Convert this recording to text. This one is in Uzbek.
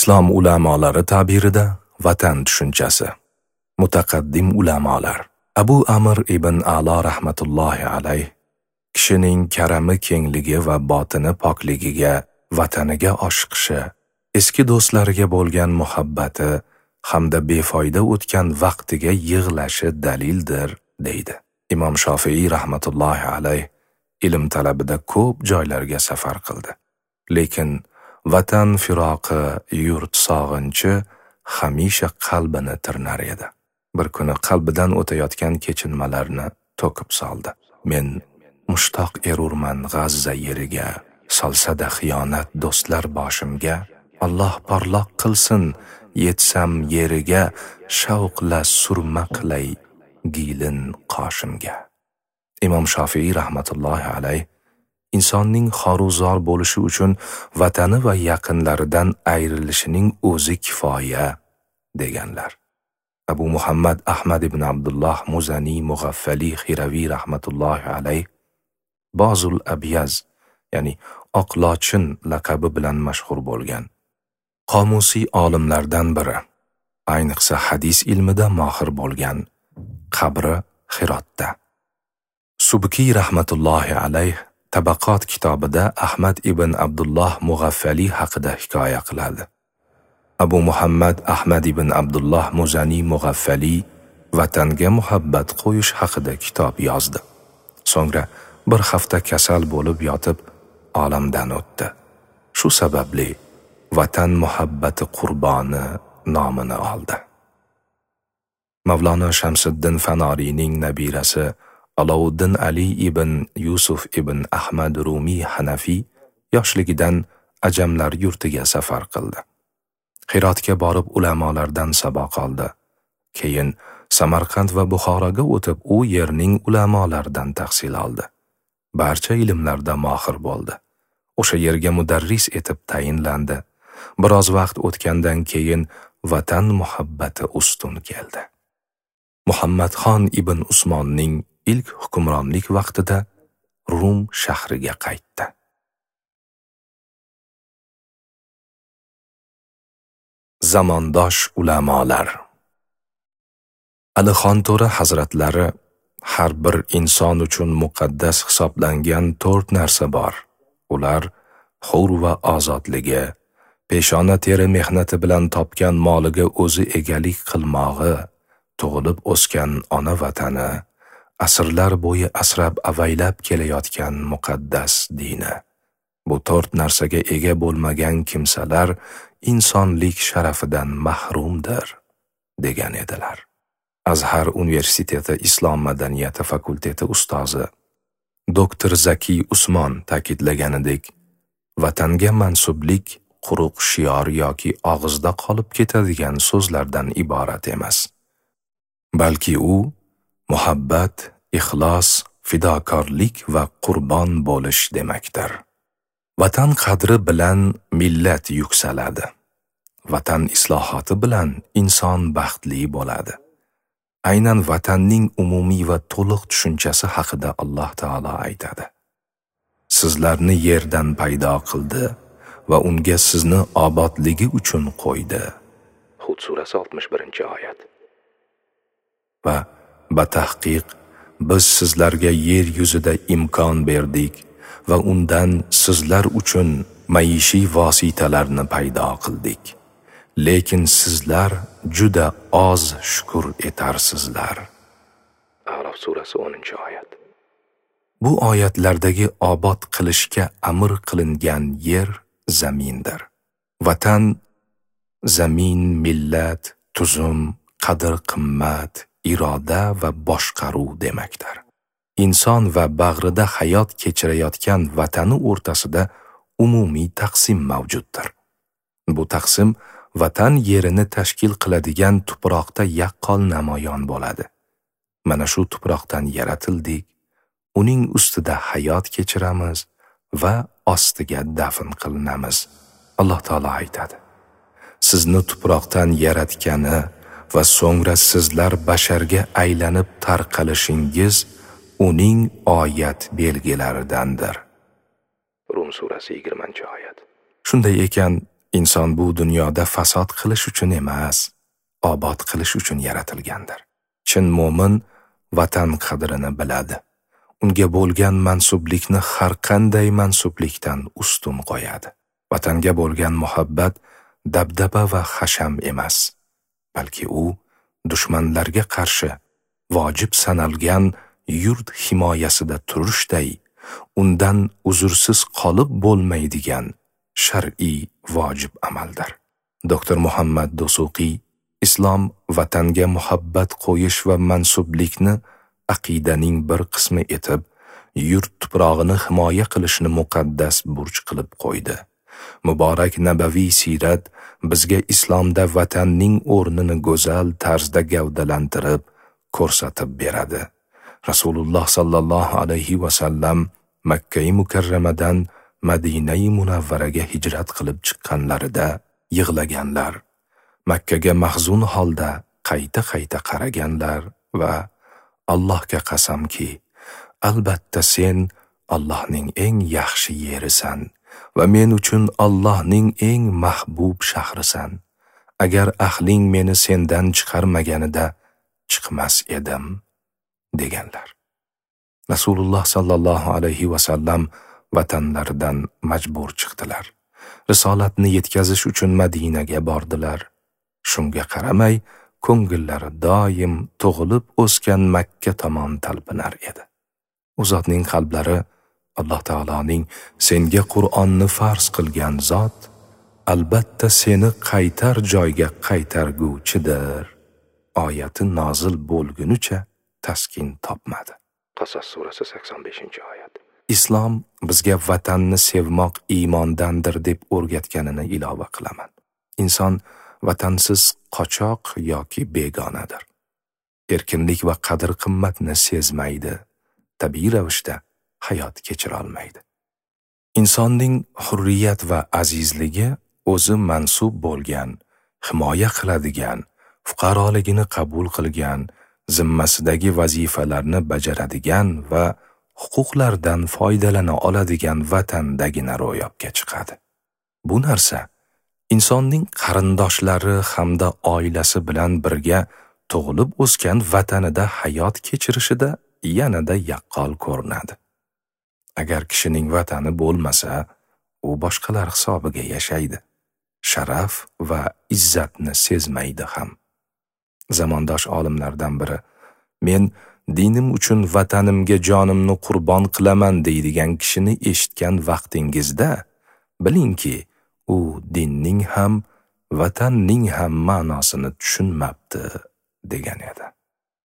Islom ulamolari ta'birida vatan tushunchasi. Mutaqaddim ulamolar Abu Amr ibn Alo rahmatullohi alayh kishining karami kengligi va botini pokligiga, vataniga oshiqishi, eski do'stlariga bo'lgan muhabbati hamda befoyda o'tgan vaqtiga yig'lashi dalildir, deydi. Imom Shofiiy rahmatullohi alayh ilm talabida ko'p joylarga safar qildi. Lekin vatan firoqi, yurt sog'inchi hamisha qalbini tirnar edi. Bir kuni qalbidan o'tayotgan kechinmalarni to'kib soldi. Men mushtoq erurman G'azza yeriga, solsa-da xiyonat do'stlar boshimga, Alloh porloq qilsin, yetsam yeriga, shavqla surma qilay gilin qoshimga. Imom Shofiiy rahmatullohi alayh insonning xoruzor bo'lishi uchun vatani va yaqinlaridan ayrilishining o'zi kifoya deganlar. Abu Muhammad Ahmad ibn Abdulloh Muzani Mug'affali Xiraviy rahmatullohi alayh Bozul Abyaz, ya'ni Oq lochin laqabi bilan mashhur bo'lgan qomusiy olimlardan biri, ayniqsa hadis ilmida mohir bo'lgan, qabri Xirotda. Subkiy rahmatullohi alayh Tabaqot kitobida Ahmad ibn Abdulloh Mug'affali haqida hikoya qiladi. Abu Muhammad Ahmad ibn Abdulloh Muzani Mug'affali vatanga muhabbat qo'yish haqida kitob yozdi. So'ngra bir hafta kasal bo'lib yotib olamdan o'tdi. Shu sababli vatan muhabbati qurboni nomini oldi. Mavlono Shamsiddin Fanoriyning nabirasi Alovuddin Ali ibn Yusuf ibn Ahmad Rumiy Hanafiy yoshligidan ajamlar yurtiga safar qildi. Hirotga borib ulamolardan saboq oldi. Keyin Samarqand va Buxoroga o'tib, u yerning ulamolaridan tahsil oldi. Barcha ilmlarda mohir bo'ldi. O'sha yerga mudarris etib tayinlandi. Biroz vaqt o'tgandan keyin vatan muhabbati ustun keldi. Muhammadxon ibn Usmonning ilk hukmronlik vaqtida Rum shahriga qaytdi. Zamondosh ulamolar. Alixonto'ra hazratlari har bir inson uchun muqaddas hisoblangan 4 narsa bor. Ular hur va ozodligi, peshona teri mehnati bilan topgan moliga o'zi egalik qilmog'i, tug'ilib o'sgan ona vatani, asrlar bo'yi asrab avaylab kelayotgan muqaddas dini. Bu 4 narsaga ega bo'lmagan kimsalar insonlik sharafidan mahrumdir, degan edilar. Azhar Universiteti Islom madaniyati fakulteti ustozi Doktor Zaki Usmon ta'kidlaganidek, vatanga mansublik quruq shior yoki og'izda qolib ketadigan so'zlardan iborat emas. Balki u muhabbat, ixlos, fidokorlik va qurbon bo'lish demakdir. Vatan qadri bilan millat yuksaladi. Vatan islohoti bilan inson baxtli bo'ladi. Aynan vatanning umumiy va to'liq tushunchasi haqida Alloh taolo aytadi. Sizlarni yerdan paydo qildi va unga sizni obodligi uchun qo'ydi. Hud surasi 61-oyat. Va batahqiq biz sizlarga yer yuzida imkon berdik va undan sizlar uchun maishiy vositalarni paydo qildik. Lekin sizlar juda oz shukr etarsizlar. A'rof surasi 10-oyat. Bu oyatlardagi obod qilishga amr qilingan yer zamindir. Vatan, zamin, millat, tuzum, qadr-qimmat, iroda va boshqaruv demakdir. Inson va bag'rida hayot kechirayotgan vatani o'rtasida umumiy taqsim mavjuddir. Bu taqsim vatan yerini tashkil qiladigan tuproqda yaqqol namoyon bo'ladi. Mana shu tuproqdan yaratildik, uning ustida hayot kechiramiz va ostiga dafn qilinamiz. Alloh taolo aytadi: Sizni tuproqdan yaratgani va so'ngra sizlar basharga aylanib tarqalishingiz uning oyat belgilaridandir. Rum surasi 20-oyat. Shunday ekan, Inson bu dunyoda fasod qilish uchun emas, obod qilish uchun yaratilgandir. Chin mo'min vatan qadrini biladi. Unga bo'lgan mansublikni har qanday mansublikdan ustun qo'yadi. Vatanga bo'lgan muhabbat dabdaba va hasham emas, balki u dushmanlarga qarshi vojib sanalgan yurt himoyasida turishday, undan uzrsiz qolib bo'lmaydigan shar'iy vojib amaldir. Doktor Muhammad Dusuqiy islom vatanga muhabbat qo'yish va mansublikni aqidaning bir qismi etib, yurt tuprog'ini himoya qilishni muqaddas burch qilib qo'ydi. Muborak nabaviy siyrat bizga islomda vatanning o'rnini go'zal tarzda gavdalantirib ko'rsatib beradi. Rasululloh sallallohu alayhi va sallam Makka-i Mukarramadan Madinai Munavvaraga hijrat qilib chiqqanlarida yig'laganlar, Makkaga mahzun holda qayta-qayta qaraganlar va Allohga qasamki, albatta sen Allohning eng yaxshi yerisan va men uchun Allohning eng mahbub shahrisan. Agar ahling meni sendan chiqarmaganida chiqmas edim, deganlar. Rasululloh sallallohu alayhi va sallam vatanlaridan majbur chiqdilar. Risolatni yetkazish uchun Madinaga bordilar. Shunga qaramay, ko'ngillari doim tug'ilib o'sgan Makka tomon talpinar edi. U zotning qalblari Alloh taoloning senga Qur'onni farz qilgan zot albatta seni qaytar joyga qaytarguvchidir oyati nozil bo'lgunicha taskin topmadi. Qasas surasi 85-oyat. Islom bizga vatanni sevmoq iymondandir deb o'rgatganini ilova qilaman. Inson vatansiz qochoq yoki begonadir. Erkinlik va qadr-qimmatni sezmaydi, tabiiy ravishda hayot kechira olmaydi. Insonning hurriyat va azizligi o'zi mansub bo'lgan, himoya qiladigan, fuqaroligini qabul qilgan, zimmasidagi vazifalarni bajaradigan va huquqlardan foydalana oladigan vatandagina ro'yobga chiqadi. Bu narsa insonning qarindoshlari hamda oilasi bilan birga tug'ilib o'sgan vatanida hayot kechirishida yanada yaqqol ko'rinadi. Agar kishining vatani bo'lmasa, u boshqalar hisobiga yashaydi. Sharaf va izzatni sezmaydi ham. Zamondosh olimlardan biri, men dinim uchun vatanimga jonimni qurbon qilaman deydigan kishini eshitgan vaqtingizda, bilingki, u dinning ham, vatanning ham ma'nosini tushunmabdi, degan edi.